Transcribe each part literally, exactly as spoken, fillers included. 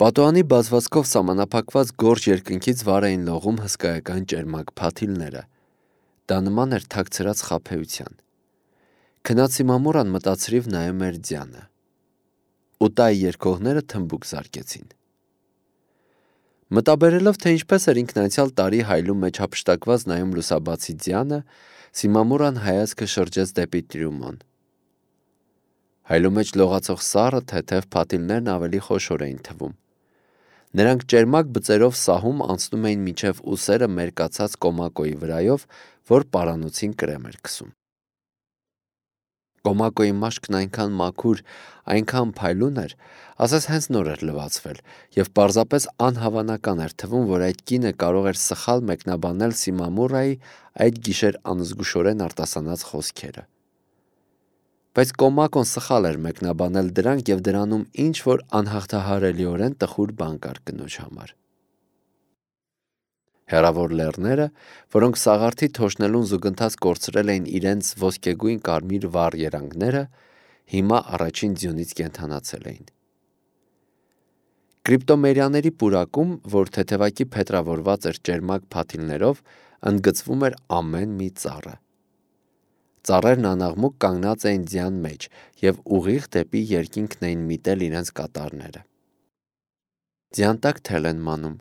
Պատուհանի բազվածքով սահմանափակված գորշ երկնքից վար էին լողում հսկայական ճերմակ փաթիլները։ Դա նման էր թաքցրած խաբեության։ Քնած Սիմամուրան մտածրիվ նայում էր ձյանը։ Ուտայի երկողները թմբուկ զարկեցին։ Մտաբերելով, թե ինչպես էր ինքն անցյալ տարի հայլու մեջ հափշտակված նայում լուսաբացի ձյանը, Սիմամուրան հայացքը շրջեց դեպի Տրյումոն։ Հայլու մեջ լողացող սառը թեթև փաթիլներն ավելի խոշոր էին թվում։ Նրանք ճերմակ բծերով սահում անցնում էին մինչև ուսերը մերկացած Կոմակոյի վրայով, որ պարանոցին կրեմ էր քսում։ Կոմակոյի մաշկն այնքան մաքուր, այնքան փայլուն էր, ասես հենց նոր էր լվացվել, և պարզապես անհավանական էր թվում, որ այդ կինը կարող էր սխալ մեկնաբանել Սիմամուրայի այդ գիշեր անզգուշորեն արտասանած խոսքերը։ Բայց Կոմակոն սխալ էր մեկնաբանել դրանք, և դրանում ինչ-որ անհաղթահարելիորեն տխուր բան կար կնոջ համար։ Հեռավոր լեռները, որոնք սաղարթի թոշնելուն զուգընթաց կորցրել էին իրենց ոսկեգույն կարմիր վառ երանգները, հիմա առաջին ձյունից կենդանացել էին։ Կրիպտոմերիաների պուրակում, որ թեթևակի փետրավորված էր ճերմակ փաթիլներով, ընդգծվում էր ամեն մի ծառը։ Ծառերն անաղմուկ կանգնած էին ձյան մեջ և ուղիղ դեպի երկինքն էին միտել իրենց կատարները։ Ձյան տակ թել են մանում,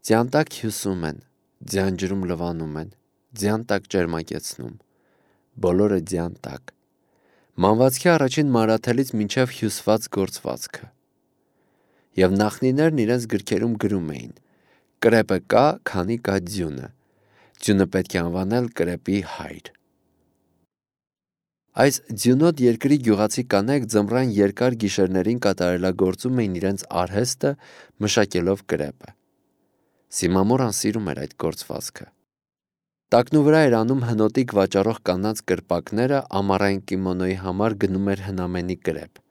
ձյան տակ հյուսում են, ձյան ջրում լվանում են, ձյան տակ ճերմակեցնում, բոլորը ձյան տակ, մանվածքի առաջին մանրաթելից մինչև հյուսված գործվածքը։ Եվ նախնիներն իրենց գրքերում գրում էին. «Կրեպը կա, քանի կա ձյունը, ձյունը պետք է անվանել կրեպի հայր»։ Այս ձյունոտ երկրի գյուղացի կանայք ձմռան երկար գիշերներին կատարելագործում էին իրենց արհեստը, մշակելով կրեպը։ Սիմամուրան սիրում էր այդ գործվածքը։ Տակնու վրա էր անում հնոտիկ վաճառող կանանց կրպակները, ամառային կիմոնոյի համար գնում էր հնամենի կրեպ։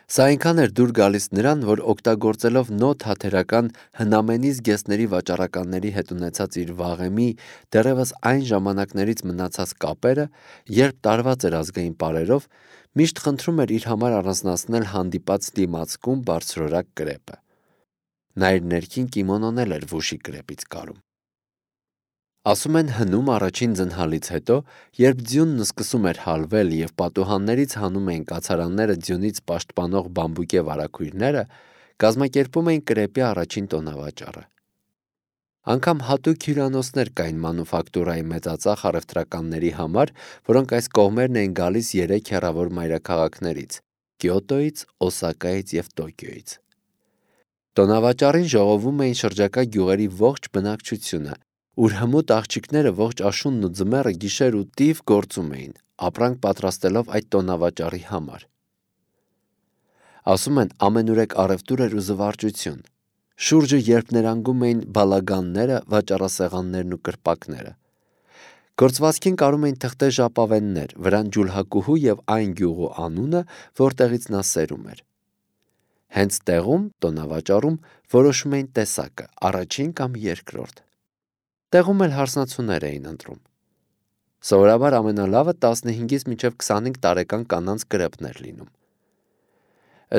Սա այնքան էր դուր գալիս նրան, որ օգտագործելով նո թաթերական հնամենի զգեստների վաճառականների հետ ունեցած իր վաղեմի, դեռևս այն ժամանակներից մնացած կապերը, երբ տարված էր ազգային պարերով, միշտ խնդրում էր իր համար առանձնացնել հանդիպած դիմացկուն բարձրորակ կրեպը։ Նա իր ներքին կիմոնոն էլ էր վուշի կրեպից կարում։ Ասում են հնում առաջին ձնհալից հետո, երբ ձյունն սկսում էր հալվել և պատուհաններից հանում էին կացարանները ձյունից պաշտպանող բամբուկե վարագույրները, կազմակերպում էին կրեպի առաջին տոնավաճառը։ Անգամ հատուկ հյուրանոցներ կային մանուֆակտուրայի մեծածախ առևտրականների համար, որոնք այս կողմերն էին գալիս երեք հեռավոր մայրաքաղաքներից՝ Կիոտոյից, Օսակայից և Տոկիոյից։ Տոնավաճառին ժողովում էին շրջակա գյուղերի ողջ բնակչությունը, ուր հմուտ աղջիկները ողջ աշունն ու ձմեռը գիշեր ու տիվ գործում էին, ապրանք պատրաստելով այդ տոնավաճառի համար։ Ասում են, ամենուրեք առևտուր էր ու զվարճություն։ Շուրջը երբ ներանգում էին բալագանները, վաճառասեղաններն ու կրպակները։ Գործվածքին կարում էին թղթե ժապավեններ, վրան ջուլհակուհու և այն գյուղու անունը, որտեղից նա սերում էր։ Հենց տեղում, տոնավաճառում, որոշում էին տեսակը՝ առաջին կամ երկրորդ։ Տեղում էլ հարսնացուներ էին ընտրում։ Սովորաբար ամենալավը տասնհինգից մինչև քսանհինգ տարեկան կանանց կրեպն էր լինում։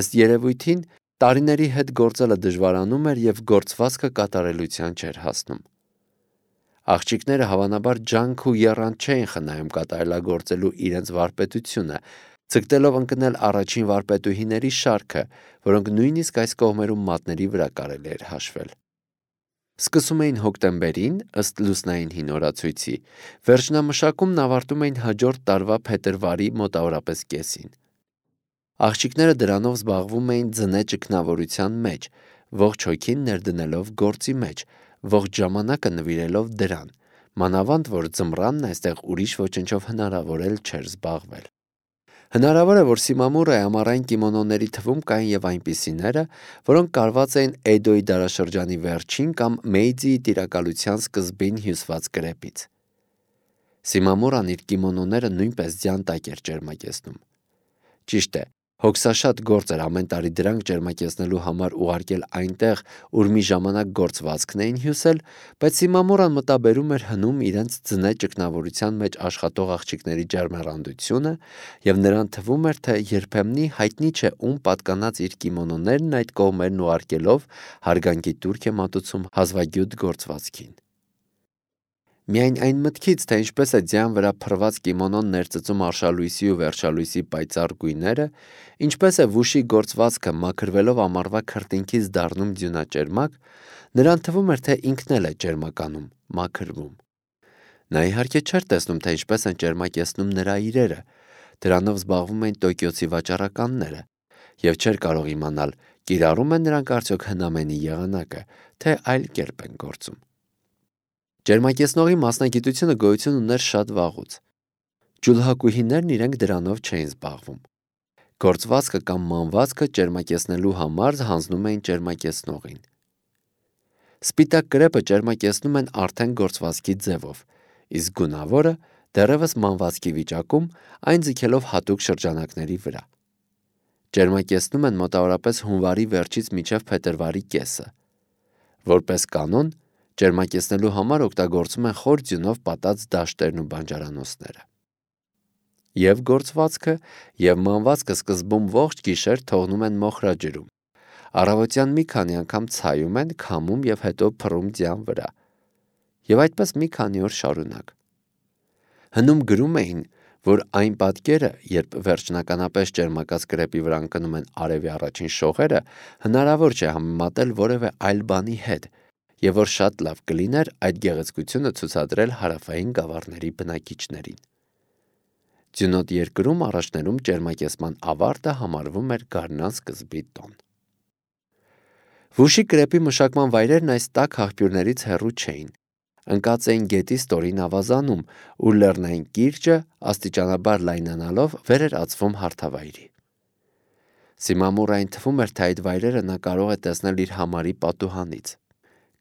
Ըստ երևույթին, տարիների հետ գործելը դժվարանում էր և գործվածքը կատարելության չէր հասնում։ Աղջիկները հավանաբար ջանք ու եռանդ չէին խնայում կատարելագործելու իրենց վարպետությունը, ձգտելով ընկնել առաջին վարպետուհիների շարքը, որոնք նույնիսկ այս կողմերում մատների վրա կարելի էր հաշվել։ Սկսում էին հոկտեմբերին, ըստ լուսնային հին օրացույցի, վերջնամշակումն ավարտում էին հաջորդ տարվա փետրվարի մոտավորապես կեսին։ Աղջիկները դրանով զբաղվում էին ձնե ճգնավորության մեջ, ողջ հոգին ներդնելով գործի մեջ, ողջ ժամանակը նվիրելով դրան, մանավանդ որ ձմռանն այստեղ ուրիշ ոչնչով հնարավոր էլ չէր զբաղվել։ Հնարավոր է, որ Սիմամուրայի ամառային կիմոնոների թվում կային և այնպիսիները, որոնք կարված էին Էդոյի դարաշրջանի վերջին կամ Մեիձիի տիրակալության սկզբին հյուսված կրեպից։ Սիմամուրան իր կիմոնոները նույնպես ձյան տակ էր ճերմակեցնում։ Ճիշտ է, Հոգսաշատ գործ էր ամեն տարի դրանք ջերմակեցնելու համար ուղարկել այնտեղ, ուր մի ժամանակ գործվածքն էին հյուսել, բայց Սիմամորան մտաբերում էր հնում իրենց ձնե ճգնավորության մեջ աշխատող աղջիկների ջերմեռանդությունը և նրան թվում էր, թե երբեմնի հայտնի չէ ում պատկանած իր կիմոնոներն այդ կողմերն ուղարկելով հարգանքի տուրք է մատուցում հազվագյուտ գործվածքին։ Միայն այն մտքից, թե ինչպես է ձյան վրա փռված կիմոնոն ներծծում արշալույսի ու վերջալույսի պայծառ գույները, ինչպես է վուշի գործվածքը մաքրվելով ամառվա քրտինքից դառնում ձյունաճերմակ, նրան թվում էր, թե ինքն էլ է ճերմականում, մաքրվում։ Նա իհարկե չէր տեսնում, թե ինչպես են ճերմակեցնում նրա իրերը, դրանով զբաղվում էին Տոկիոցի վաճառականները, և չէր կարող իմանալ, կիրառում են նրանք արդյոք հնամենի եղանակը, թե այլ կերպ են գործում։ Ջերմակեցնողի մասնագիտությունը գոյություն ուներ շատ վաղուց։ Ջուլհակուհիներն իրենք դրանով չէին զբաղվում։ Գործվածքը կամ մանվածքը ջերմակեցնելու համար հանձնում էին ջերմակեցնողին։ Սպիտակ կրեպը ջերմակեցնում են արդեն գործվածքի ձևով, իսկ գունավորը դեռևս մանվածքի վիճակում, այն ձգելով հատուկ շրջանակների վրա։ Ջերմակեցնում են մոտավորապես հունվարի վերջից մինչև փետրվարի կեսը։ Որպես կանոն, ջերմակեցնելու համար օգտագործում են խոր ձյունով պատած դաշտերն ու բանջարանոցները։ Եվ գործվածքը, և մանվածքը սկզբում ողջ գիշեր թողնում են մոխրաջրում։ Առավոտյան մի քանի անգամ ցայում են, քամում և հետո փռում ձյան վրա։ Եվ այդպես մի քանի օր շարունակ։ Հնում գրում էին, որ այն պատկերը, երբ վերջնականապես ջերմակած կրեպի վրա ընկնում են արևի առաջին շողերը, հնարավոր չէ համեմատել որևէ այլ բանի հետ, և որ շատ լավ կլիներ այդ գեղեցկությունը ցուցադրել հարավային գավառների բնակիչներին։ Ձյունոտ երկրում առաջներում ջերմակեցման ավարտը համարվում էր գարնան սկզբի տոն։ Վուշի կրեպի մշակման վայրերն այս տաք աղբյուրներից հեռու չէին։ Ընկած էին գետի ստորին ավազանում, ուր լեռնային կիրճը աստիճանաբար լայնանալով վեր էր ածվում հարթավայրի։ Սիմամուրային թվում էր, թե այդ վայրերը նա կարող է տեսնել իր համարի պատուհանից։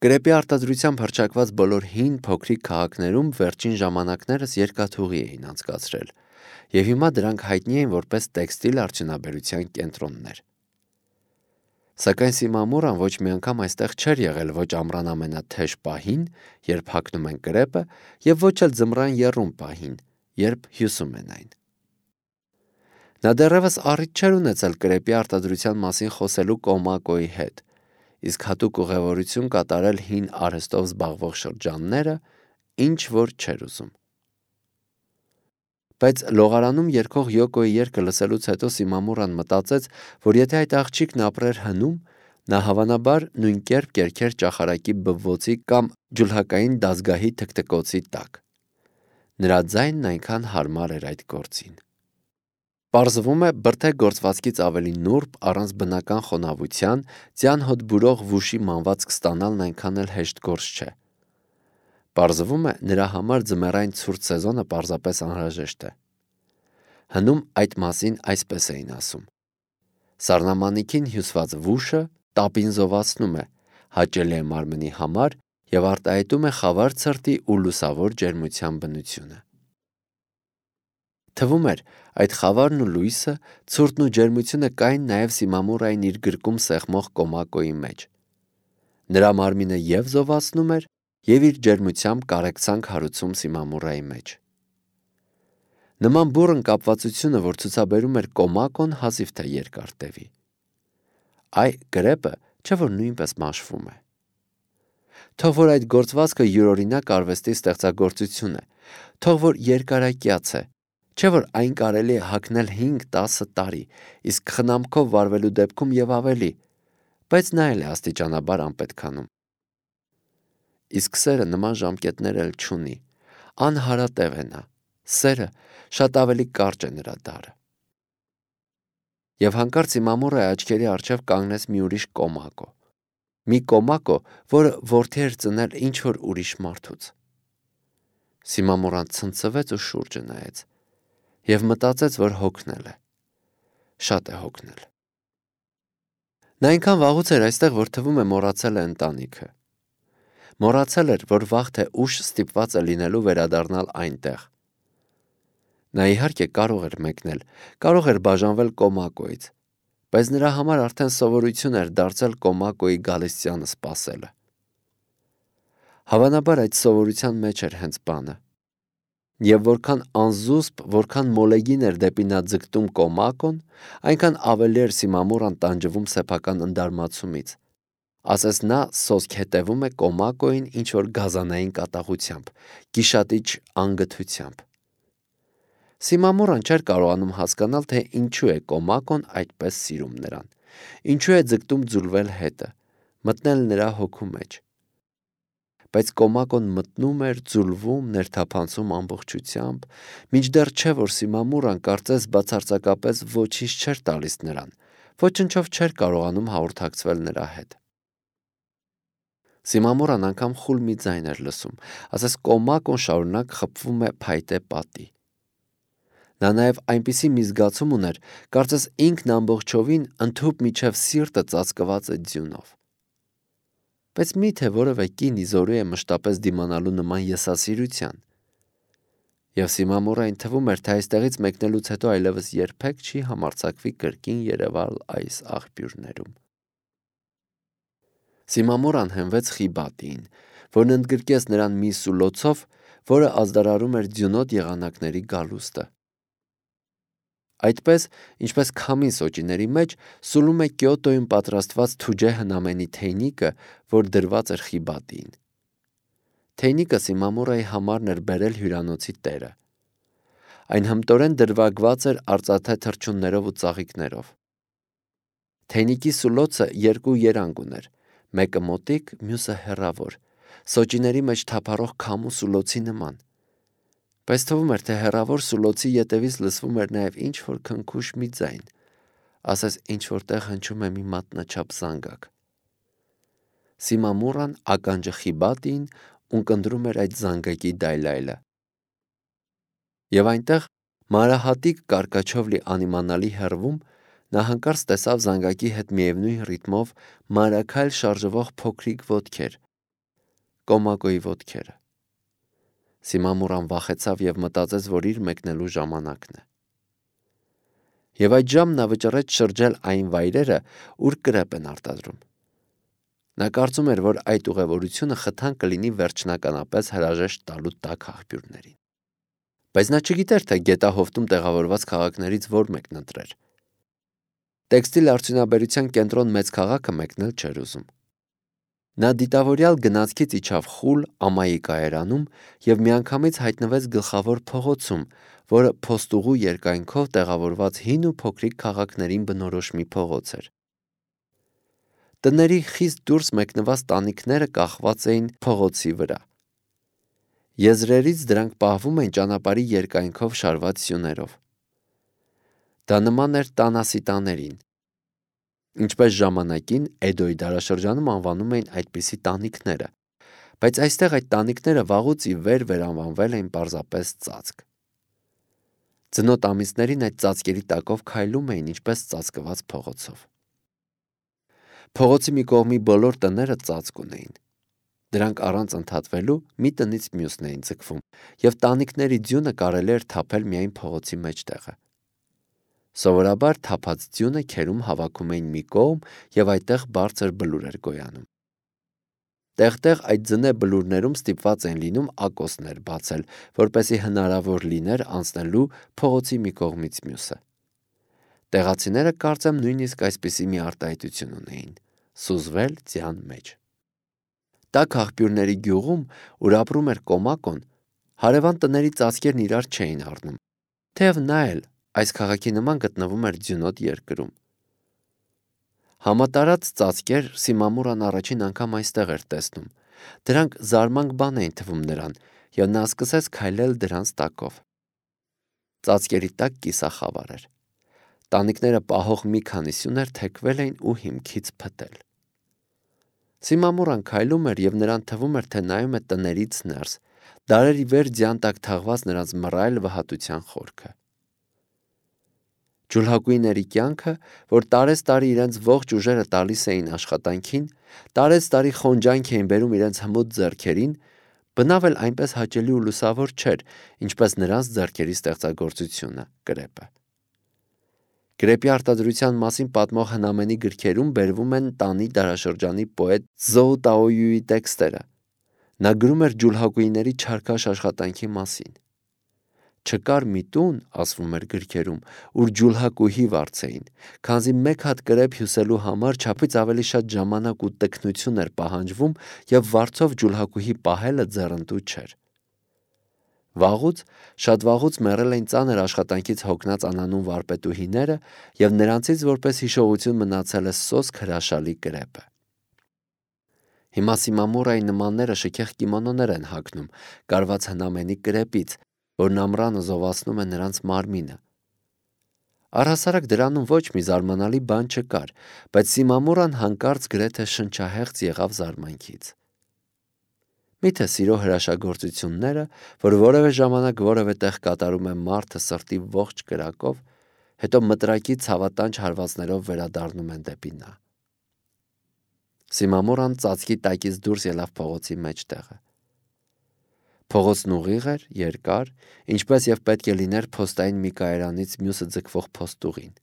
Կրեպի արտադրությամբ հռչակված բոլոր հին փոքրիկ քաղաքներում վերջին ժամանակներս երկաթուղի էին անցկացրել, և հիմա դրանք հայտնի էին որպես տեքստիլ արդյունաբերության կենտրոններ։ Սակայն Սիմամուրան ոչ մի անգամ այստեղ չէր եղել ոչ ամռան ամենաթեժ պահին, երբ հագնում են կրեպը, և ոչ էլ ձմռան եռում պահին, երբ հյուսում են այն։ Նա դեռևս առիթ չէր ունեցել կրեպի արտադրության մասին խոսելու Կոմակոյի հետ, իսկ հատուկ ուղևորություն կատարել հին արհեստով զբաղվող շրջանները, ինչ որ չէր ուզում։ Բայց լողարանում երգող Յոկոյի երգը լսելուց հետո Սիմամուրան մտածեց, որ եթե այդ աղջիկն ապրեր հնում, նա հավանաբար նույն կերպ կերքեր ճախարակի բվոցի կամ ջուլհակային դազգահի թքթկոցի տակ։ Նրա ձայնն այնքան հարմար էր այդ գործին։ Պարզվում է, բրդե գործվածքից ավելի նուրբ, առանց բնական խոնավության, ձյան հոտ բուրող վուշի մանվածք ստանալն այնքան էլ հեշտ գործ չէ։ Պարզվում է, նրա համար ձմեռային ցուրտ սեզոնը պարզապես անհրաժեշտ է։ Հնում այդ մասին այսպես էին ասում. Սառնամանիքին հյուսված վուշը տապին զովացնում է, հաճելի է մարմնի համար և արտահայտում է խավար ցրտի ու լուսավոր ջերմության բնությունը։ Թվում էր, այդ խավարն ու լույսը, ցուրտն ու ջերմությունը կային նաև Սիմամուրային իր գրկում սեղմող Կոմակոյի մեջ։ Նրա մարմինը և զովացնում էր, և իր ջերմությամբ կարեկցանք հարուցում Սիմամուրայի մեջ։ Նման բուռն կապվածությունը, որ ցուցաբերում էր Կոմակոն, հազիվ թե երկար տևի։ Այ կրեպը չէ որ նույնպես մաշվում է։ Թող որ այդ գործվածքը յուրօրինակ արվեստի ստեղծագործություն է, թող որ երկարակյաց է, չէ որ այն կարելի է հագնել հինգ-տասը տարի, իսկ խնամքով վարվելու դեպքում և ավելի, բայց նա էլ է աստիճանաբար անպետքանում։ Իսկ սերը նման ժամկետներ էլ չունի, անհարատև է նա, սերը շատ ավելի կարճ է նրա դարը։ Եվ հանկարծ Սիմամուրայի աչքերի առջև կանգնեց մի ուրիշ Կոմակո, մի Կոմակո, որը որդի էր ծնել ինչ-որ ուրիշ մարդուց։ Սիմամուրան ցնցվեց ու շուրջը նայեց, և մտածեց, որ հոգնել է, շատ է հոգնել։ Նա այնքան վաղուց էր այստեղ, որ թվում է մոռացել է ընտանիքը։ Մոռացել էր, որ վաղ թե ուշ ստիպված է լինելու վերադառնալ այնտեղ։ Նա իհարկե կարող էր մեկնել, կարող էր բաժանվել Կոմակոյից, բայց նրա համար արդեն սովորություն էր դարձել Կոմակոյի գալստյանը սպասելը։ Հավանաբար այդ սովորության մեջ էր հենց բանը։ Եվ որքան անզուսպ, որքան մոլեգին էր դեպի նա ձգտում Կոմակոն, այնքան ավելի էր Սիմամուրան տանջվում սեփական ընդարմացումից։ Ասես նա սոսկ հետևում է Կոմակոյին ինչ-որ գազանային կատաղությամբ, գիշատիչ անգթությամբ։ Սիմամուրան չէր կարողանում հասկանալ, թե ինչու է Կոմակոն այդպես սիրում նրան, ինչու է ձգտում ձուլվել հետը, մտնել նրա հոգու մեջ։ Բայց Կոմակոն մտնում էր, ձուլվում, ներթափանցում ամբողջությամբ, մինչդեռ չէ, որ Սիմամուրան կարծես բացարձակապես ոչինչ չէր տալիս նրան, ոչնչով չէր կարողանում հաղորդակցվել նրա հետ։ Սիմամուրան անգամ խուլ մի ձայն էր լսում, ասես Կոմակոն շարունակ խփվում է փայտե պատի։ Նա նաև այնպիսի մի զգացում ուներ, կարծես ինքն ամբողջովին ընդհուպ միջև սիրտը ծածկված է ձյունով։ Բայց մի՞թե որևէ կին իզորու է մշտապես դիմանալու նման եսասիրության։ Եվ Սիմամուրային թվում էր, թե այստեղից մեկնելուց հետո այլևս երբեք չի համարձակվի կրկին երևալ այս աղբյուրներում։ Սիմամուրան հենվեց Խիբատիին, որն ընդգրկեց նրան մի սուլոցով, որը ազդարարում էր ձյունոտ եղանակների գալուստը։ Այդպես, ինչպես քամին սոճիների մեջ սուլում է Կիոտոյում պատրաստված թուջե հնամենի թեյնիկը, որ դրված էր Խիբատիին։ Թեյնիկը Սիմամուրայի համարն էր բերել հյուրանոցի տերը։ Այն հմտորեն դրվագված էր արծաթե թռչուններով ու ծաղիկներով։ Թեյնիկի սուլոցը երկու երանգ ուներ, մեկը մոտիկ, մյուսը հեռավոր, սոճիների մեջ թափառող քամու սուլոցի նման։ Բայց թվում էր, թե հեռավոր սուլոցի ետևից լսվում էր նաև ինչ-որ քնքուշ մի ձայն, ասես ինչ-որտեղ հնչում է մի մատնաչափ զանգակ։ Սիմամուրան ականջը Խիբատիին ունկնդրում էր այդ զանգակի դայլայլը։ Եվ այնտեղ մանրահատիկ կարկաչով լի անիմանալի հեռվում նա հանկարծ տեսավ զանգակի հետ միևնույն ռիթմով մանրաքայլ շարժվող փոքրիկ ոտքեր, Կոմակոյի ոտքերը։ Սիմամուրան վախեցավ և մտածեց, որ իր մեկնելու ժամանակն է։ Եվ այդ ժամն նա վճռեց շրջել այն վայրերը, ուր կրեպ են արտադրում։ Նա կարծում էր, որ այդ ուղևորությունը խթան կլինի վերջնականապես հրաժեշտ տալու տաք աղբյուրներին։ Բայց նա չգիտեր, թե գետահովտում տեղավորված քաղաքներից որ մեկն ընտրեր։ Տեքստիլ արդյունաբերության կենտրոն մեծ քաղաքը մեկնել չէր ուզում։ Նա դիտավորյալ գնացքից իջավ խուլ ամայի կայարանում և միանգամից հայտնվեց գլխավոր փողոցում, որը փոստուղու երկայնքով տեղավորված հին ու փոքրիկ քաղաքներին բնորոշ մի փողոց էր։ Տների խիստ դուրս մեկնված տանիքները կախված էին փողոցի վրա։ Եզրերից դրանք պահվում էին ճանապարհի երկայնքով շարված սյուներով։ Դա նման էր տանասիտաներին, ինչպես ժամանակին Էդոյի դարաշրջանում անվանում էին այդպիսի տանիքները, բայց այստեղ այդ տանիքները վաղուց ի վեր վերանվանվել էին պարզապես ծածկ։ Ձնոտ ամիսներին այդ ծածկերի տակով քայլում էին ինչպես ծածկված փողոցով։ Փողոցի մի կողմի բոլոր տները ծածկ ունեին։ Դրանք առանց ընդհատվելու մի տնից մյուսն էին ձգվում, և տանիքների ձյունը կարելի էր թափել միայն փողոցի մեջտեղը։ Սովորաբար թափած ձյունը քերում հավաքում էին մի կողմ և այդտեղ բարձր բլուր էր գոյանում։ Տեղ-տեղ այդ ձնե բլուրներում ստիպված էին լինում ակոսներ բացել, որպեսզի հնարավոր լիներ անցնելու փողոցի մի կողմից մյուսը։ Տեղացիները կարծեմ նույնիսկ այսպիսի մի արտահայտություն ունեին՝ սուզվել ձյան մեջ։ Տաք աղբյուրների գյուղում, ուր ապրում էր Կոմակոն, հարևան տների ծածկերն իրար չէին առնում, թեև նա էլ այս քաղաքի նման գտնվում էր ձյունոտ երկրում։ Համատարած ծածկեր Սիմամուրան առաջին անգամ այստեղ էր տեսնում։ Դրանք զարմանք բան էին թվում նրան, և նա սկսեց քայլել դրանց տակով։ Ծածկերի տակ կիսախավար էր։ Տանիքները պահող մի քանի սյուներ թեքվել էին ու հիմքից փտել։ Սիմամուրան քայլում էր, և նրան թվում էր, թե նայում է տներից ներս, դարերի վեր ձյան տակ թաղված նրանց մռայլ վհատության խորքը։ Ջուլհակույների կյանքը, որ տարեց-տարի իրենց ողջ ուժերը տալիս էին աշխատանքին, տարեց-տարի խոնջանք էին բերում իրենց հմուտ ձեռքերին, Բնավ էլ այնպես հաճելի ու լուսավոր չէր, ինչպես նրանց ձեռքերի ստեղծագործությունը՝ կրեպը։ Կրեպի արտադրության մասին պատմող հնամենի գրքերում բերվում են Տանի դարաշրջանի պոետ Զոու Տաոյուի տեքստերը։ Նա գրում էր ջուլհակուիների չարքաշ աշխատանքի մասին։ Չկար մի տուն, ասվում էր գրքերում, ուր ջուլհակուհի վարձեին, քանզի մեկ հատ կրեպ հյուսելու համար չափից ավելի շատ ժամանակ ու տքնություն էր պահանջվում և վարձով ջուլհակուհի պահելը ձեռնտու չէր։ Վաղուց, շատ վաղուց մեռել էին ծանր աշխատանքից հոգնած անանուն վարպետուհիները և նրանցից որպես հիշողություն մնացել է սոսկ հրաշալի կրեպը։ Հիմա Սիմամուրայի նմանները շքեղ կիմոնոներ են հագնում, կարված հնամենի կրեպից, որն ամռանը զովացնում է նրանց մարմինը։ Առհասարակ դրանում ոչ մի զարմանալի բան չկար, բայց Սիմամուրան հանկարծ գրեթե շնչահեղձ եղավ զարմանքից։ Միթե սիրո հրաշագործությունները, որ որևէ ժամանակ որևէ տեղ կատարում է մարդը սրտի ողջ կրակով, հետո մտրակի ցավատանչ հարվածներով վերադառնում են դեպի նա։ Սիմամուրան ծածկի տակից դուրս ելավ փողոցի մեջտեղը։ Փողոցն ուղիղ էր, երկար, ինչպես և պետք է լիներ փոստային մի կայարանից մյուսը ձգվող փոստուղին։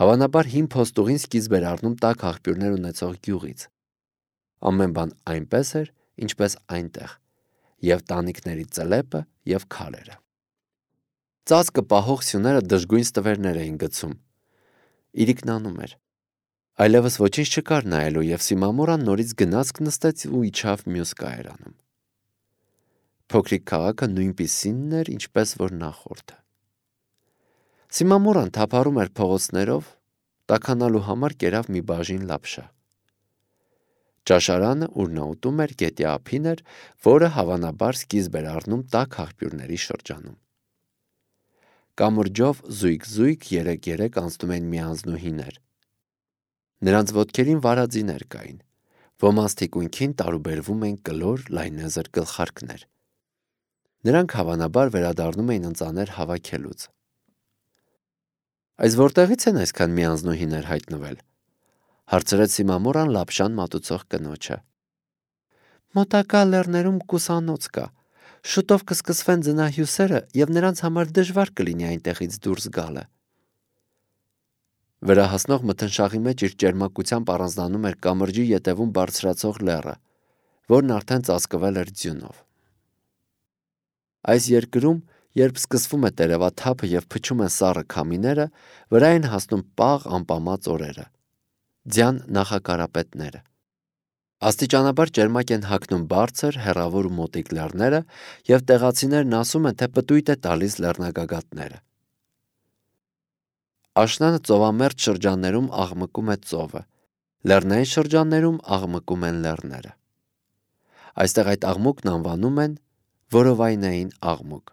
Հավանաբար հին փոստուղին սկիզբ էր առնում տաք աղբյուրներ ունեցող գյուղից։ Ամեն բան այնպես էր, ինչպես այնտեղ, և տանիքների ծլեպը և քարերը։ Ծածկը պահող սյուները դժգույն ստվերներ էին գցում։ Իրիկնանում էր։ Այլևս ոչինչ չկար նայելու, և Սիմամուրան նորից գնացք նստեց ու իջավ մյուս կայարանում։ Փոքրիկ քաղաքը նույնպիսինն էր, ինչպես որ նախորդը։ Սիմամուրան թափառում էր փողոցներով, տաքանալու համար կերավ մի բաժին լապշա։ Ճաշարանը, ուր նա ուտում էր, գետի ափին էր, որը հավանաբար սկիզբ էր առնում տաք աղբյուրների շրջանում։ Կամուրջով զույգ-զույգ երեք-երեք անցնում էին միանձնուհիներ։ Նրանց ոտքերին վարածիներ կային, ոմանց թիկունքին տարուբերվում էին կլոր լայնեզր գլխարկներ։ Նրանք հավանաբար վերադառնում էին ընծաներ հավաքելուց։ Այս որտեղից են այսքան միանձնուհիներ հայտնվել, հարցրեց Սիմամուրան լապշան մատուցող կնոջը։ Մոտակա լեռներում կուսանոց կա, շուտով կսկսվեն ձնահյուսերը և նրանց համար դժվար կլինի այնտեղից դուրս գալը։ Վերահասնող մթնշաղի մեջ իր ճերմակությամբ առանձնանում էր կամրջի ետևում բարձրացող լեռը, որն արդեն ծածկվել էր ձյունով։ Այս երկրում, երբ սկսվում է տերևաթափը և փչում են սառը քամիները, վրա են հասնում պաղ անպամած օրերը, ձյան նախակարապետները։ Աստիճանաբար ճերմակ են հագնում բարձր, հեռավոր ու մոտիկ լեռները, և տեղացիներն ասում են, թե պտույտ է տալիս լեռնագագաթները։ Աշնանը ծովամերձ շրջաններում աղմկում է ծովը, լեռնային շրջաններում աղմկում են լեռները։ Այստեղ այդ աղմուկն անվանում են որովայնային աղմուկ։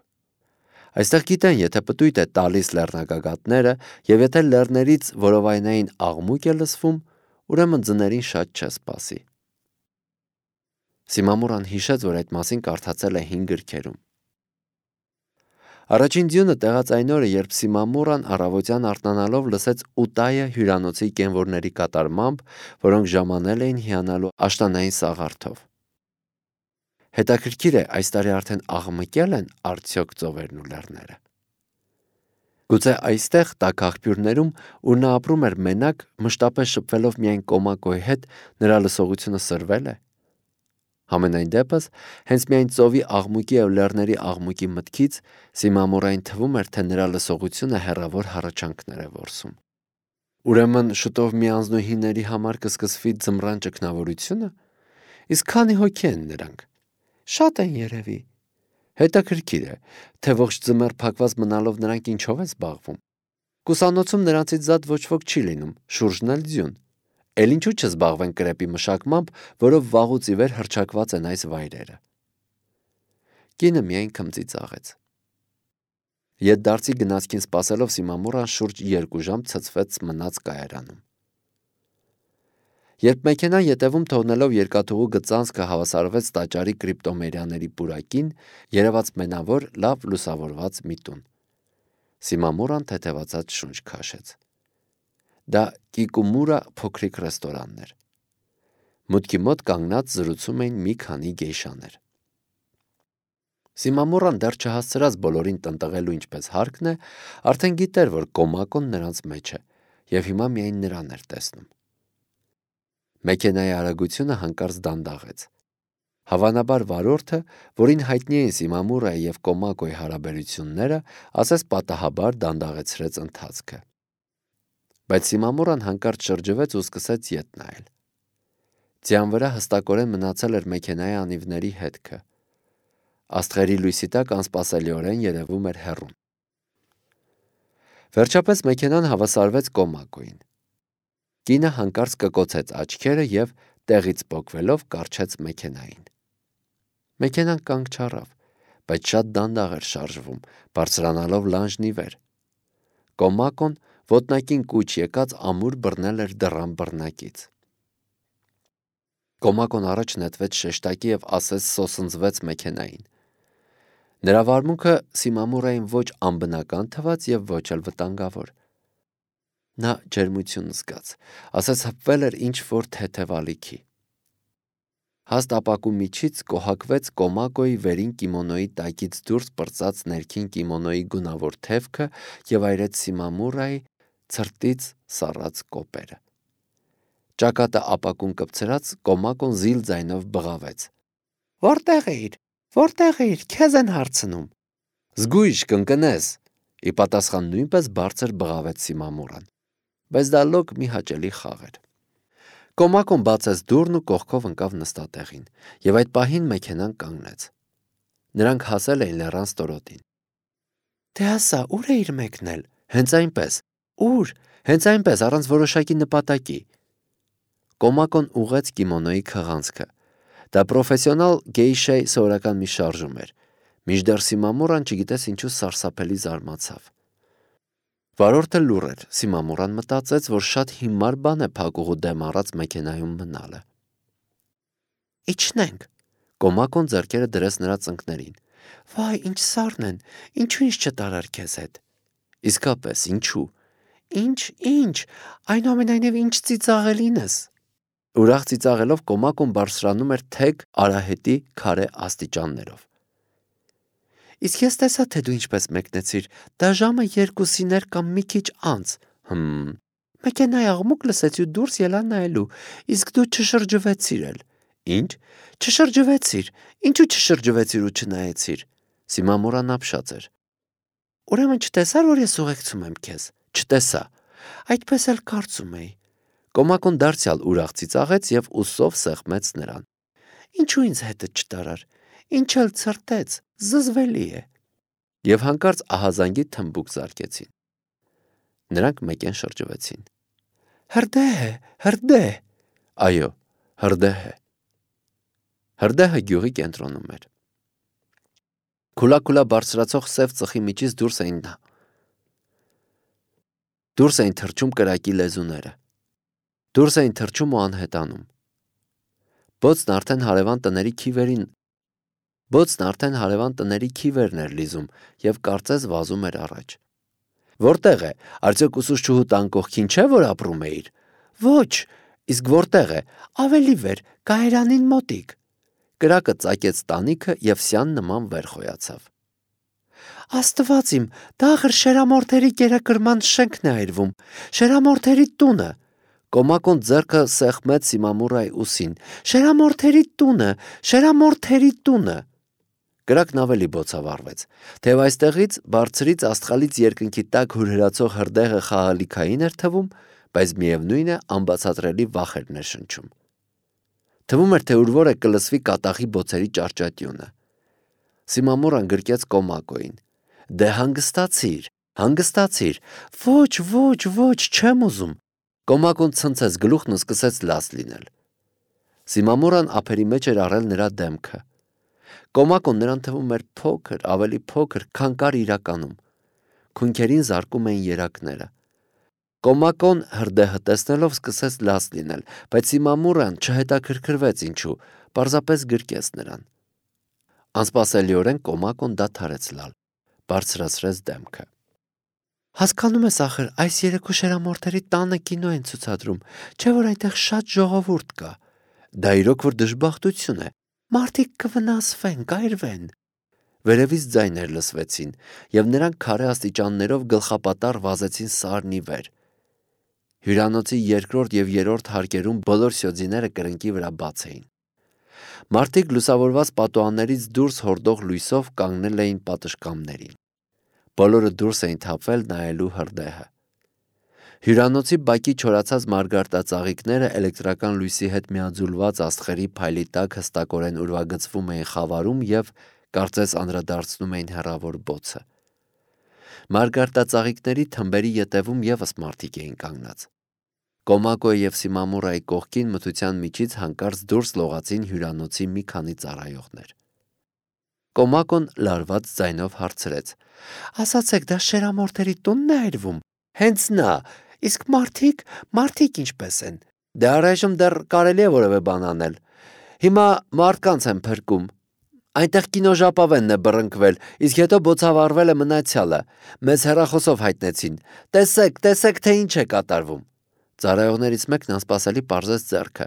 Այստեղ գիտեն, եթե պտույտ է տալիս լեռնագագաթները, և եթե լեռներից որովայնային աղմուկ է լսվում, ուրեմն ձներին շատ չէ սպասի։ Սիմամուրան հիշեց, որ այդ մասին կարդացել է հին գրքերում։ Առաջին ձյունը տեղաց այն օրը, երբ Սիմամուրան առավոտյան արթնանալով լսեց Ուտայը հյուրանոցի կենվորների կատարմամբ, որոնք ժամանել էին հիանալու աշնանային սաղարթով։ Հետաքրքիր է, այս տարի արդեն աղմկել են արդյոք ծովերն ու լեռները։ Գուցե այստեղ տաք աղբյուրներում, ուր նա ապրում էր մենակ, մշտապես շփվելով միայն կոմակոյի հետ, նրա լսողությունը սրվել է։ Համենայն դեպս, հենց միայն ծովի աղմուկի և լեռների աղմուկի մտքից Սիմամուրային թվում էր, թե նրա լսողությունը հեռավոր հառաչանքներ է որսում։ Ուրեմն շուտով միանձնուհիների համար կսկսվի ձմռան ճգնավորությո՞ւնը։ Իսկ քանի հոգի են նրանք։ Շատ են երևի։ Հետաքրքիր է, թե ողջ ձմեռ փակված մնալով նրանք ինչով են զբաղվում։ Կուսանոցում նրանցից զատ ոչ ոք չի լինում, շուրջն էլ ձյուն։ Էլ ինչու չզբաղվեն կրեպի մշակմամբ, որով վաղուց ի վեր հռչակված են այս վայրերը։ Կինը միայն քմծի ծաղեց։ Ետդարձի գնացքին սպասելով Սիմամուրան շուրջ երկու ժամ ցցվեց մնաց կայարանում։ Երբ մեքենան ետևում թողնելով երկաթուղու գծանցքը հավասարվեց տաճարի կրիպտոմերիաների պուրակին, երևաց մենավոր, լավ լուսավորված մի տուն։ Սիմամուրան թեթևացած շունչ քաշեց։ Դա Կիկումուրա փոքրիկ ռեստորանն էր։ Մուտքի մոտ կանգնած զրուցում էին մի քանի գեյշաներ։ Սիմամուրան դեռ չհասցրած բոլորին տնտղելու ինչպես հարկն է, արդեն գիտեր, որ Կոմակոն նրանց մեջ է, և հիմա միայն նրան էր տեսնում։ Մեքենայի արագությունը հանկարծ դանդաղեց։ Հավանաբար վարորդը, որին հայտնի էին Սիմամուրայի և Կոմակոյի հարաբերությունները, ասես պատահաբար դանդաղեցրեց ընթացքը։ Բայց Սիմամուրան հանկարծ շրջվեց ու սկսեց ետ նայել։ Ձյան վրա հստակորեն մնացել էր մեքենայի անիվների հետքը։ Աստղերի լույսի տակ անսպասելիորեն երևում էր հեռուն։ Վերջապես մեքենան հավասարվեց Կոմակոյին։ Կինը հանկարծ կկոցեց աչքերը և տեղից պոկվելով կառչեց մեքենային։ Մեքենան կանգ չառավ, բայց շատ դանդաղ էր շարժվում, բարձրանալով լանջն ի վեր։ Կոմակոն ոտնակին կուչ եկած ամուր բռնել էր դռան բռնակից։ Կոմակոն առաջ նետվեց շեշտակի և ասես սոսնձվեց մեքենային։ Նրա վարմունքը Սիմամուրային ոչ անբնական թվաց և ոչ էլ վտանգավոր։ Նա ջերմություն զգաց, ասես հպվել էր ինչ-որ թեթև ալիքի։ Հաստ ապակու միջից կոհակվեց Կոմակոյի վերին կիմոնոյի տակից դուրս պրծած ներքին կիմոնոյի գունավոր թևքը և այրեց Սիմամուրայի ցրտից սառած կոպերը։ Ճակատը ապակուն կպցրած Կոմակոն զիլ ձայնով բղավեց. «Որտե՞ղ էիր, որտե՞ղ էիր, քեզ են հարցնում»։ «Զգույշ կընկնես», ի պատասխան նույնպես բարձր բղավեց Սիմամուրան, բայց դա լոկ մի հաճելի խաղ էր։ Կոմակոն բացեց դուռն ու կողքով ընկավ նստատեղին, և այդ պահին մեքենան կանգնեց։ Նրանք հասել էին լեռան ստորոտին։ «Դե ասա, ուր էիր մեկնել»։ «Հենց այնպես»։ «Ուր»։ «Հենց այնպես, առանց որոշակի նպատակի»։ Կոմակոն ուղղեց կիմոնոյի քղանցքը։ Դա պրոֆեսիոնալ գեյշայի սովորական մի շարժում էր։ Մինչդեռ Սիմամուրան չգիտես ինչու սարսափելի զարմացավ։ Վարորդը լուռ էր։ Սիմամուրան մտածեց, որ շատ հիմար բան է փակուղու դեմ առած մեքենայում մնալը։ «Իջնենք»։ Կոմակոն ձեռքերը դրեց նրա ծնկներին։ «Վայ, ինչ սառն են, ինչու ինձ չտարար քեզ հետ»։ «Իսկապես, ինչու»։ «Ինչ, ինչ, այնուամենայնիվ ինչ ծիծաղելին ես»։ Ուրախ ծիծաղելով Կոմակոն բարձրանում էր թեք արահետի քարե աստիճաններով։ «Իսկ ես տեսա, թե դու ինչպես մեկնեցիր, դա ժամը երկուսին էր կամ մի քիչ անց»։ «Հմ»։ «Մեքենայի աղմուկ լսեցի ու դուրս ելա նայելու, իսկ դու չշրջվեցիր էլ»։ «Ինչ»։ «Չշրջվեցիր, ինչու չշրջվեցիր ու չնայեցիր»։ Սիմամուրան ապշած էր։ «Ուրեմն չտեսար, որ ես ուղեկցում եմ քեզ»։ «Չտեսա»։ «Այդպես էլ կարծում էի»։ Կոմակոն դարձյալ ուրախ ծիծաղեց և ուսով սեղմեց նրան։ «Ինչու ինձ հետդ չտարար, ինչ էլ ցրտեց, զզվելի է»։ Եվ հանկարծ ահազանգի թմբուկ զարկեցին։ Նրանք մեկեն շրջվեցին։ «Հրդեհ է, հրդեհ»։ Այո, հրդեհ է։ Հրդեհը գյուղի կենտրոնում էր։ Քուլաքուլա բարձրացող սև ծխի միջից դուրս էին դուրս էին թռչում կրակի լեզուները։ Դուրս էին թռչում ու անհետանում։ Բոցն արդեն հարևան տների քիվերին Բոցն արդեն հարևան տների քիվերն էր լիզում և կարծես վազում էր առաջ։ «Որտե՞ղ է, արդյոք ուսուցչուհու տան կողքին չէ, որ ապրում էիր»։ «Ոչ»։ «Իսկ որտե՞ղ է»։ «Ավելի վեր, Կայարանին մոտիկ»։ Կրակը ծակեց տանիքը և սյան նման վեր խոյացավ։ «Աստված իմ, դա ախր Շերամորթերի կերակրման շենքն է այրվում, Շերամորթերի տունը»։ Կոմակոն ձեռքը սեղմեց Սիմամուրայի ուսին։ «Շերամորթերի տունը, Շերամորթերի տունը»։ Կրակն ավելի բոցավառվեց։ Թեև այստեղից բարձրից աստղալից երկնքի տակ հուրհրացող հրդեհը խաղալիքային էր թվում, բայց միևնույն է անբացատրելի վախ էր ներշնչում։ Թվում էր, թե ուր որ է կլսվի կատաղի բոցերի ճարճատյունը։ Սիմամուրան գրկեց Կոմակոյին։ «Դե հանգստացիր, հանգստացիր»։ «Ոչ, ոչ, ոչ, չեմ ուզում»։ Կոմակոն ցնցեց գլուխն ու սկսեց լաց լինել։ Սիմամուրան ափերի մեջ էր առել նրա դեմքը։ Կոմակոն նրան թվում էր փոքր, ավելի փոքր, քան կար իրականում։ Քունքերին զարկում էին երակները։ Կոմակոն հրդեհը տեսնելով սկսեց լաց լինել, բայց Սիմամուրան չհետաքրքրվեց ինչու, պարզապես գրկեց նրան։ Անսպասելիորեն Կոմակոն դադարեց լալ, բարձրացրեց դեմքը։ «Հասկանում ես ախր, այս երեկո Շերամորթերի տանը կինո են ցուցադրում, չէ՞ որ այնտեղ շատ ժողովուրդ կա»։ Դա իրոք որ դժբախտություն է։ Մարդիկ կվնասվեն, կայրվեն։ Վերևից ձայներ լսվեցին, եւ նրանք քարե աստիճաններով գլխապատառ վազեցին սարն ի վեր։ Հյուրանոցի երկրորդ եւ երրորդ հարկերում բոլոր սյոձիները կրնկի վրա բաց էին։ Մարդիկ լուսավորված պատուհաններից դուրս հորդող լույսով կանգնել էին պատշգամբներին։ Բոլորը դուրս էին թափվել նայելու հրդեհը։ Հյուրանոցի բակի չորացած մարգարտածաղիկները էլեկտրական լույսի հետ միաձուլված աստղերի փայլի տակ հստակորեն ուրվագծվում էին խավարում եւ կարծես անդրադարձնում էին հեռավոր բոցը։ Մարգարտածաղիկների թմբերի ետևում եւս մարդիկ էին կանգնած։ Կոմակոյի եւ Սիմամուրայի կողքին մթության միջից հանկարծ դուրս լողացին հյուրանոցի մի քանի ծառայողներ։ Կոմակոն լարված ձայնով հարցրեց. «Ասացեք, դա շերամորթերի տունն է այրվում»։ «Հենց նա, իսկ մարդիկ, մարդիկ ինչպես են»։ «Դե առայժմ դեռ կարելի է որևէ բան անել։ Հիմա մարդկանց են փրկում։ Այնտեղ կինոժապավենն է բռնկվել, իսկ հետո բոցավառվել է մնացյալը։ Մեզ հեռախոսով հայտնեցին։ Տեսեք, տեսեք, թե ինչ է կատարվում»։ Ծառայողներից մեկն անսպասելի պարզեց ձեռքը։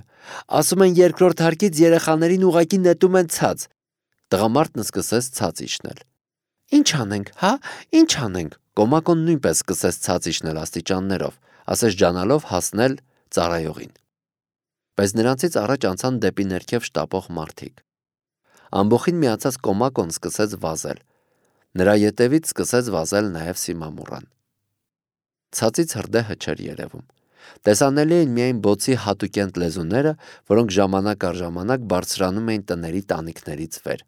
«Ասում են երկրորդ հարկից երեխաներին ուղղակի նետում են ցած»։ Տղամարդն սկսեց ցած իջնել։ «Ինչ անենք, հա, ինչ անենք»։ Կոմակոն նույնպես սկսեց ցած իջնել աստիճաններով, ասես ջանալով հասնել ծառայողին։ Բայց նրանցից առաջ անցան դեպի ներքև շտապող մարդիկ։ Ամբոխին միացած Կոմակոն սկսեց վազել։ Նրա ետևից սկսեց վազել նաև Սիմամուրան։ Ցածից հրդեհը չէր երևում։ Տեսանելի էին միայն բոցի հատուկենտ լեզուները, որոնք ժամանակ առ ժամանակ բարձրանում էին տների տանիքներից վեր։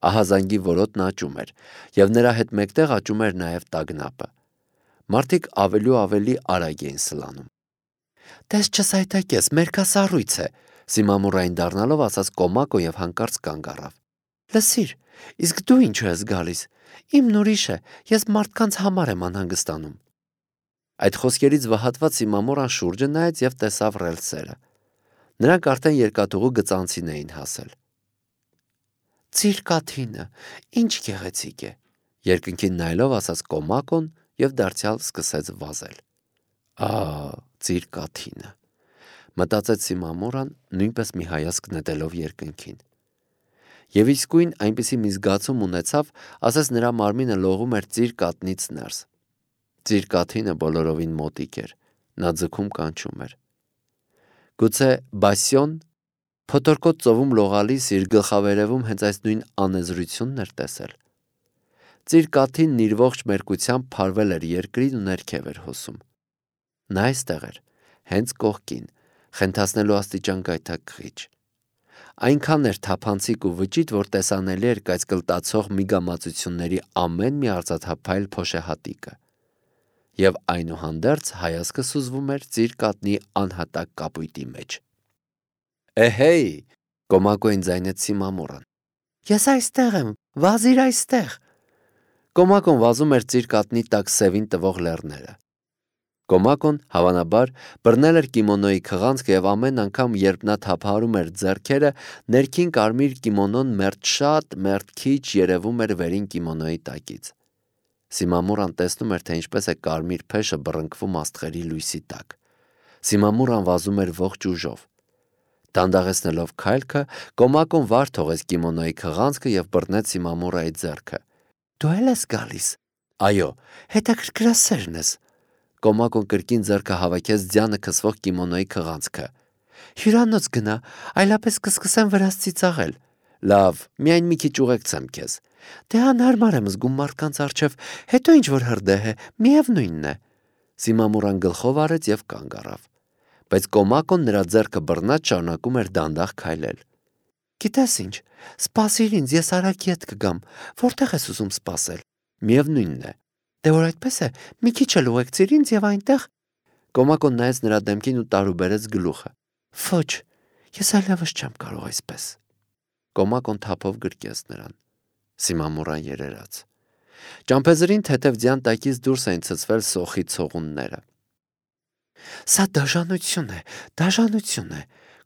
Ահազանգի որոտն աճում էր, եւ նրա հետ մեկտեղ աճում էր նաև տագնապը։ Մարդիկ ավելի ու ավելի արագ էին սլանում։ «Տես չսայթակես, մերկասառույց է», Սիմամուրային դառնալով ասաց Կոմակո եւ հանկարծ կանգ առավ։ «Լսիր, իսկ դու ինչու ես գալիս։ Իմն ուրիշ է, ես մարդկանց համար եմ անհանգստանում»։ Այդ խոսքերից վհատված Սիմամուրան շուրջը նայեց եւ տեսավ ռելսերը։ Նրանք արդեն երկաթուղու գծանցին էին հասել։ «Ծիրկաթինը, ինչ գեղեցիկ է», երկնքին նայելով ասաց Կոմակոն եւ դարձյալ սկսեց վազել։ «Ահ, ծիրկաթինը», մտածեց Սիմամուրան, նույնպես մի հայացք նետելով երկնքին։ Եվ իսկույն այնպիսի մի զգացում ունեցավ, ասես նրա մարմինը լողում էր ծիրկատնից ներս։ Ծիրկաթինը բոլորովին մոտիկ էր, նա ձգում կանչում էր։ Գուցե Բասյոն փոթորկոտ ծովում լողալիս իր գլխավերևում հենց այս նույն անեզրությունն էր տեսել։ Ծիրկաթինն իր ողջ մերկությամբ փարվել էր երկրին ու ներքև էր հոսում։ Նա այստեղ էր, հենց կողքին, խենթացնելու աստիճան գայթակղիչ։ Այնքան էր թափանցիկ ու վճիտ, որ տեսանելի էր կայծկլտացող միգամածությունների ամեն մի արծաթափայլ փոշեհատիկը։ Եվ այնուհանդերձ հայացքը սուզվում էր ծիրկատնի անհատակ կապույտի մեջ։ «Էհեյ», Կոմակոին ձայնեց Սիմամուրան։ «Ես այստեղ եմ, վազիր այստեղ»։ Կոմակոն վազում էր ծիրկատնի տակ սևին տվող լեռները։ Կոմակոն, հավանաբար, բռնել էր կիմոնոյի քղանցքը եւ ամեն անգամ, երբ նա թափահարում էր ձեռքերը, ներքին կարմիր կիմոնոն մերթ շատ, մերթ քիչ երևում էր վերին կիմոնոյի տակից։ Սիմամուրան տեսնում էր, թե ինչպես է կարմիր փեշը բռնկվում աստղերի լույսի տակ։ Սիմամուրան վազում էր ողջ ուժով։ Դանդաղեցնելով քայլքը, Կոմակոն վար թողեց կիմոնոյի քղանցքը եւ բռնեց Սիմամուրայի ձեռքը։ «Դու էլ ես գալիս»։ «Այո, հետաքրքրասերն ես»։ Կոմակոն կրկին ձեռքը հավաքեց ձյանը քսվող կիմոնոյի քղանցքը։ «Հյուրանոց գնա, այլապես կսկսեմ վրաս ծիծաղել»։ «Լավ, միայն մի քիչ ուղեկցեմ քեզ»։ «Դե անհարմար եմ զգում մարդկանց առջև, հետո ինչ որ հրդեհ է, միևնույնն է»։ Սիմամուրան գլխով արեց եւ կանգ առավ։ Բայց Կոմակոն նրա ձեռքը բռնած շարունակում էր դանդաղ քայլել։ «Գիտես ինչ, սպասիր ինձ, ես արագ ետ կգամ, որտեղ ես ուզում սպասել»։ «Միևնույնն է»։ «Դե որ այդպես է, մի քիչ էլ ուղեկցիր ինձ եւ այնտեղ»։ Կոմակոն նայեց նրա դեմքին ու տարուբերեց գլուխը։ «Ոչ, ես այլևս չեմ կարող այսպես»։ Կոմակոն թափով գրկեց նրան։ Սիմամուրան երերաց։ Ճամփեզրին թեթև ձյան տակից դուրս էին ցցվել սոխի ցողունները։ «Սա դաժանություն է, դաժանություն է»,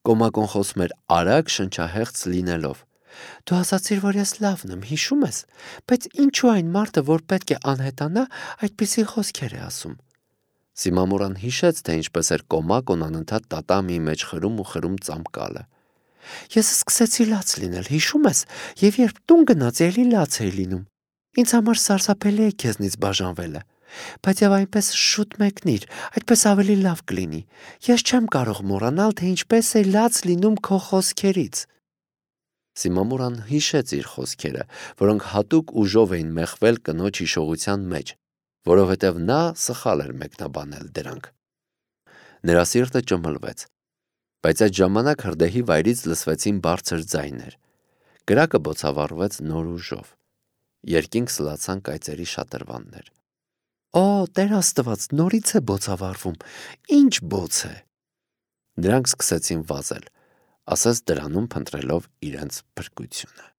Կոմակոն խոսում էր արագ, շնչահեղձ լինելով։ «Դու ասացիր, որ ես լավն եմ, հիշում ես, բայց ինչու այն մարդը, որ պետք է անհետանա, այդպիսի խոսքեր է ասում»։ Սիմամուրան հիշեց, թե ինչպես էր Կոմակոն անընդհատ տատամիի մեջ խրում ու խրում ծամկալը։ Ես սկսեցի լաց լինել, հիշում ես, եւ երբ տուն գնաց, ելի լաց էի լինում։ Ինձ համար սարսափելի է քեզնից բաժանվելը, բայց եւ այնպես շուտ մեկնիր, այդպես ավելի լավ կլինի։ Ես չեմ կարող մոռանալ, թե ինչպես է լաց լինում քո խոսքերից։ Սիմամուրան հիշեց իր խոսքերը, որոնք հատուկ ուժով էին մեղվել կնոջ հիշողության մեջ, որովհետև նա սխալ էր մեկնաբանել դրանք։ Նրա սիրտը ճմլվեց, բայց այդ ժամանակ հրդեհի վայրից լսվեցին բարձր ձայներ։ Կրակը բոցավառվեց նոր ուժով։ Երկինք սլացան կայծերի շատրվաններ։ Օ, Տեր Աստված, նորից է բոցավառվում։ Ինչ բոց է։ Նրանք սկսեցին վազել, ասես դրանում փնտրելով իրենց փրկությունը։